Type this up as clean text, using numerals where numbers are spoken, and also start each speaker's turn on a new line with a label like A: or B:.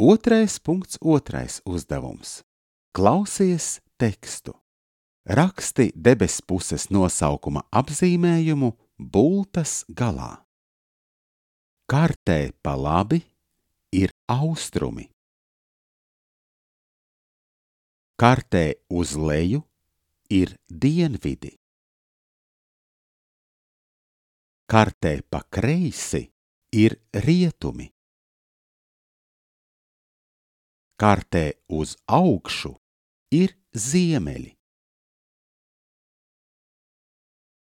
A: 2.2. uzdevums. Klausies tekstu. Raksti debespuses nosaukuma apzīmējumu bultas galā. Kartē pa labi ir austrumi. Kartē uz leju ir dienvidi. Kartē pa kreisi ir rietumi. Kartē uz augšu ir ziemeļi.